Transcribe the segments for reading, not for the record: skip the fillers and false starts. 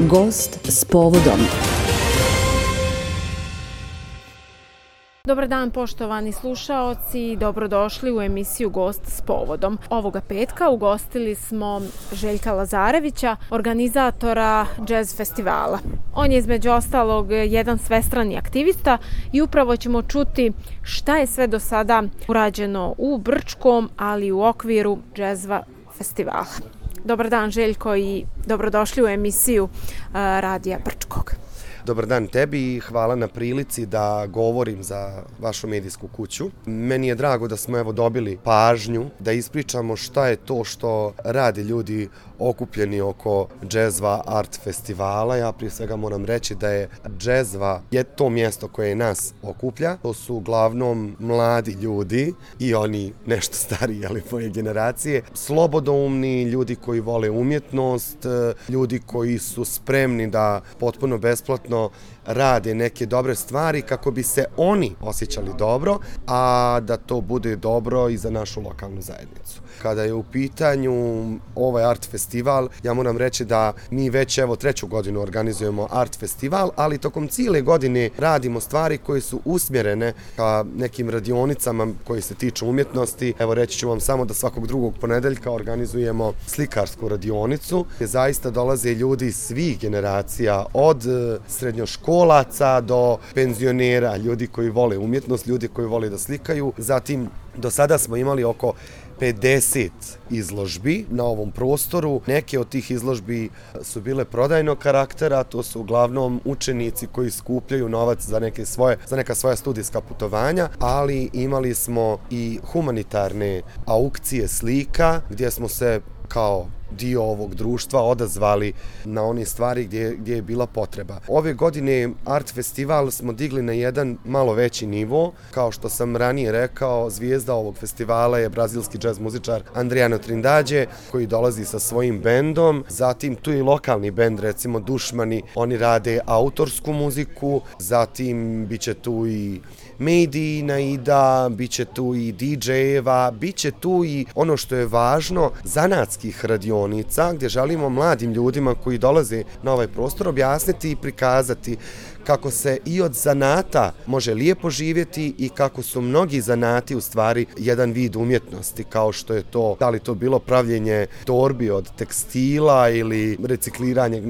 Gost s povodom. Dobar dan poštovani slušaoci, dobrodošli u emisiju Gost s povodom. Ovoga petka ugostili smo Željka Lazarevića, organizatora jazz festivala. On je između ostalog jedan svestrani aktivista i upravo ćemo čuti šta je sve do sada urađeno u Brčkom, ali i u okviru jazza festivala. Dobar dan Željko i dobrodošli u emisiju Radija Brčkog. Dobar dan tebi i hvala na prilici da govorim za vašu medijsku kuću. Meni je drago da smo dobili pažnju da ispričamo šta je to što rade ljudi okupljeni oko Džezva art festivala. Ja prije svega moram reći da je Džezva to mjesto koje nas okuplja. To su uglavnom mladi ljudi i oni nešto stariji, ali moje generacije. Slobodoumni, ljudi koji vole umjetnost, ljudi koji su spremni da potpuno besplatno rade neke dobre stvari kako bi se oni osjećali dobro, a da to bude dobro i za našu lokalnu zajednicu. Kada je u pitanju ovaj art festival, ja moram reći da mi već treću godinu organizujemo art festival, ali tokom cijele godine radimo stvari koje su usmjerene ka nekim radionicama koji se tiču umjetnosti. Evo reći ću vam samo da svakog drugog ponedeljka organizujemo slikarsku radionicu gdje zaista dolaze ljudi svih generacija, od srednjoškolaca do penzionera, ljudi koji vole umjetnost, ljudi koji vole da slikaju. Zatim, do sada smo imali oko 50 izložbi na ovom prostoru. Neke od tih izložbi su bile prodajnog karaktera, to su uglavnom učenici koji skupljaju novac za neka svoja studijska putovanja, ali imali smo i humanitarne aukcije slika gdje smo se kao dio ovog društva odazvali na one stvari gdje je bila potreba. Ove godine art festival smo digli na jedan malo veći nivo. Kao što sam ranije rekao, zvijezda ovog festivala je brazilski džez muzičar Adriano Trindade koji dolazi sa svojim bendom. Zatim tu je i lokalni bend, recimo Dušmani, oni rade autorsku muziku. Zatim bit će tu i Mejdi, Naida, bit će tu i DJ-eva, bit će tu i ono što je važno, zanatskih radionica gdje želimo mladim ljudima koji dolaze na ovaj prostor objasniti i prikazati kako se i od zanata može lijepo živjeti i kako su mnogi zanati u stvari jedan vid umjetnosti, kao što je to, da li to bilo pravljenje torbi od tekstila ili recikliranje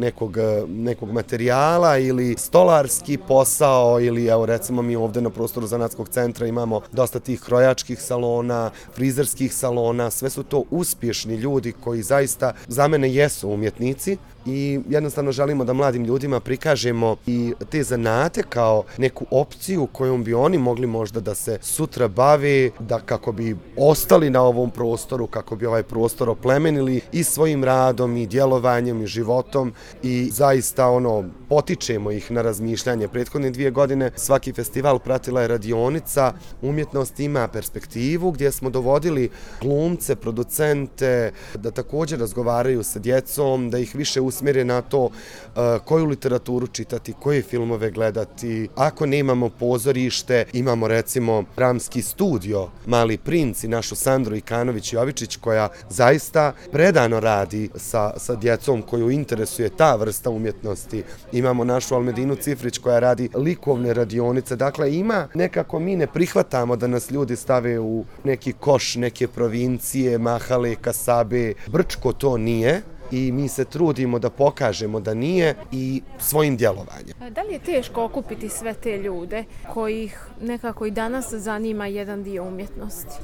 nekog materijala ili stolarski posao ili evo recimo mi ovdje na prostoru zanatskog centra imamo dosta tih krojačkih salona, frizerskih salona, sve su to uspješni ljudi koji zaista za mene jesu umjetnici i jednostavno želimo da mladim ljudima prikažemo i te zanate kao neku opciju kojom bi oni mogli možda da se sutra bave, da kako bi ostali na ovom prostoru, kako bi ovaj prostor oplemenili i svojim radom i djelovanjem i životom i zaista potičemo ih na razmišljanje. Prethodne 2 godine svaki festival pratila je radionica Umjetnost ima perspektivu gdje smo dovodili glumce, producente da također razgovaraju sa djecom, da ih više usmjere na to koju literaturu čitati, koje filmove gledati. Ako nemamo pozorište, imamo recimo dramski studio Mali princ i našu Sandru Ikanović-Jovičić koja zaista predano radi sa djecom koju interesuje ta vrsta umjetnosti. Imamo našu Almedinu Cifrić koja radi likovne radionice. Dakle, ima nekako mi ne prihvatamo da nas ljudi stave u neki koš, neke provincije, mahale, kasabe. Brčko to nije. I mi se trudimo da pokažemo da nije i svojim djelovanjem. Da li je teško okupiti sve te ljude kojih nekako i danas zanima jedan dio umjetnosti?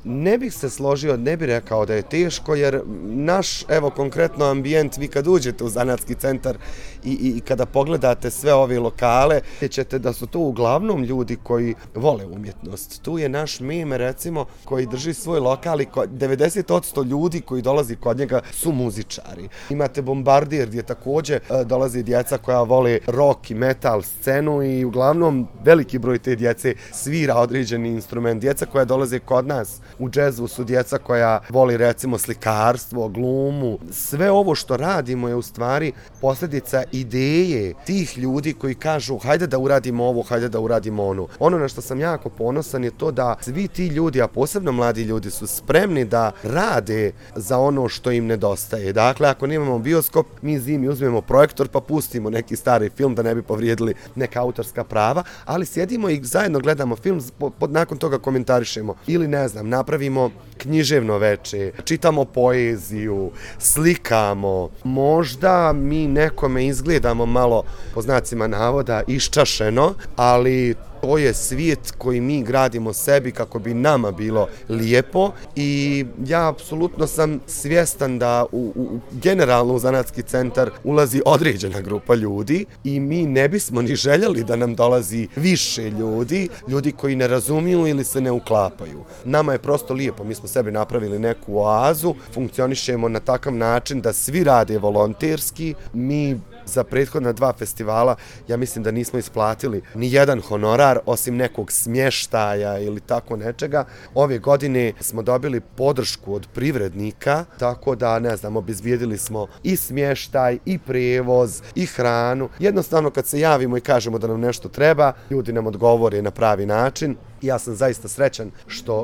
Ne bih se složio, ne bih rekao da je teško, jer naš, konkretno ambijent, vi kad uđete u zanatski centar i kada pogledate sve ove lokale, ćete da su to uglavnom ljudi koji vole umjetnost. Tu je naš Meme, recimo, koji drži svoj lokal i 90% ljudi koji dolazi kod njega su muzičari. Imate Bombardier gdje također dolazi djeca koja vole rock i metal scenu i uglavnom veliki broj te djece svira određeni instrument. Djeca koja dolaze kod nas u džezu su djeca koja voli recimo slikarstvo, glumu. Sve ovo što radimo je u stvari posljedica ideje tih ljudi koji kažu hajde da uradimo ovo, hajde da uradimo ono. Ono na što sam jako ponosan je to da svi ti ljudi, a posebno mladi ljudi, su spremni da rade za ono što im nedostaje. Dakle, ako nemamo bioskop, mi zimi uzmemo projektor pa pustimo neki stari film da ne bi povrijedili neka autorska prava, ali sjedimo i zajedno gledamo film, nakon toga komentarišemo. Ili ne znam, napravimo književno veče, čitamo poeziju, slikamo. Možda mi nekome izgledamo malo, po znacima navoda, iščašeno, ali to je svijet koji mi gradimo sebi kako bi nama bilo lijepo i ja apsolutno sam svjestan da generalno u zanatski centar ulazi određena grupa ljudi i mi ne bismo ni željeli da nam dolazi više ljudi koji ne razumiju ili se ne uklapaju. Nama je prosto lijepo, mi smo sebi napravili neku oazu, funkcionišemo na takav način da svi rade volonterski, mi za prethodna 2 festivala ja mislim da nismo isplatili ni jedan honorar osim nekog smještaja ili tako nečega. Ove godine smo dobili podršku od privrednika, tako da ne znam, obezbijedili smo i smještaj i prijevoz i hranu. Jednostavno kad se javimo i kažemo da nam nešto treba, ljudi nam odgovore na pravi način. Ja sam zaista srećan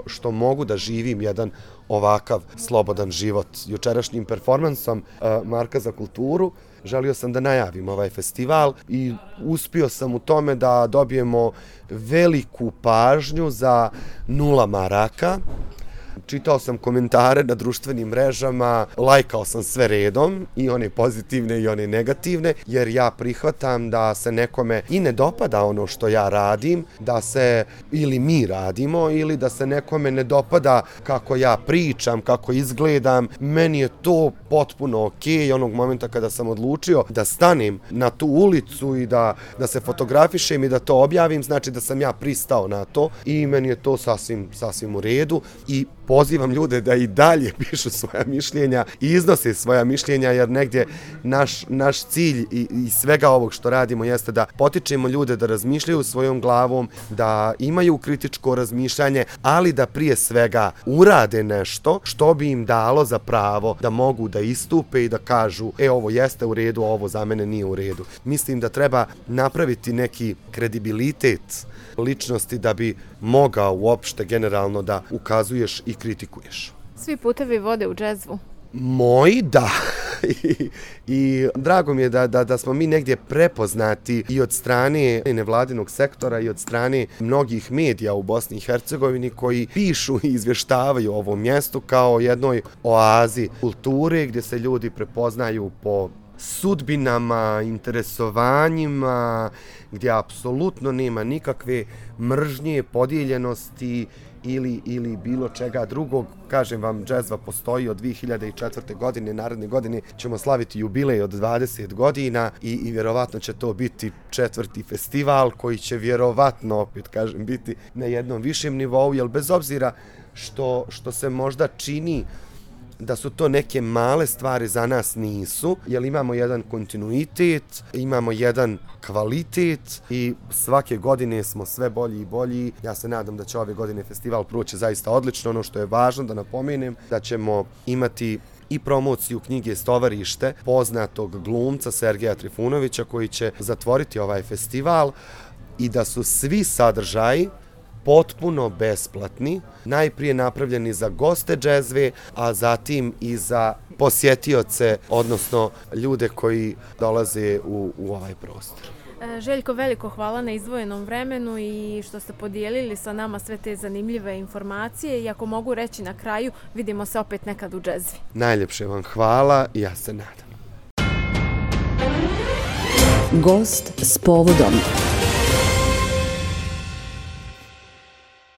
što mogu da živim jedan ovakav slobodan život. Jučerašnjim performansom Marka za kulturu želio sam da najavim ovaj festival i uspio sam u tome da dobijemo veliku pažnju za 0 maraka. Čitao sam komentare na društvenim mrežama, lajkao sam sve redom, i one pozitivne i one negativne, jer ja prihvatam da se nekome i ne dopada ono što ja radim, da se ili mi radimo, ili da se nekome ne dopada kako ja pričam, kako izgledam. Meni je to potpuno okej. Onog momenta kada sam odlučio da stanem na tu ulicu i da se fotografišem i da to objavim, znači da sam ja pristao na to i meni je to sasvim u redu i pozivam ljude da i dalje pišu svoja mišljenja i iznose svoja mišljenja, jer negdje naš cilj i svega ovog što radimo jeste da potičemo ljude da razmišljaju svojom glavom, da imaju kritičko razmišljanje, ali da prije svega urade nešto što bi im dalo za pravo da mogu da istupe i da kažu ovo jeste u redu, a ovo za mene nije u redu. Mislim da treba napraviti neki kredibilitet ličnosti da bi mogao uopšte generalno da ukazuješ i kritikuješ. Svi putevi vode u džezvu. Moji da. I drago mi je da smo mi negdje prepoznati i od strane nevladinog sektora i od strane mnogih medija u Bosni i Hercegovini koji pišu i izvještavaju o ovom mjestu kao jednoj oazi kulture gdje se ljudi prepoznaju po sudbinama, interesovanjima, gdje apsolutno nema nikakve mržnje, podijeljenosti ili bilo čega drugog. Kažem vam, džezva postoji od 2004. godine, naredne godine ćemo slaviti jubilej od 20 godina i vjerovatno će to biti 4. festival koji će vjerovatno, opet kažem, biti na jednom višem nivou, jer bez obzira što se možda čini da su to neke male stvari, za nas nisu, jer imamo jedan kontinuitet, imamo jedan kvalitet i svake godine smo sve bolji i bolji. Ja se nadam da će ove godine festival proći zaista odlično. Ono što je važno da napomenem, da ćemo imati i promociju knjige Stovarište poznatog glumca Sergeja Trifunovića koji će zatvoriti ovaj festival i da su svi sadržaji potpuno besplatni, najprije napravljeni za goste džezve, a zatim i za posjetioce, odnosno ljude koji dolaze u ovaj prostor. Željko, veliko hvala na izdvojenom vremenu i što ste podijelili sa nama sve te zanimljive informacije i ako mogu reći na kraju, vidimo se opet nekad u džezvi. Najljepše vam hvala i ja se nadam. Gost s povodom.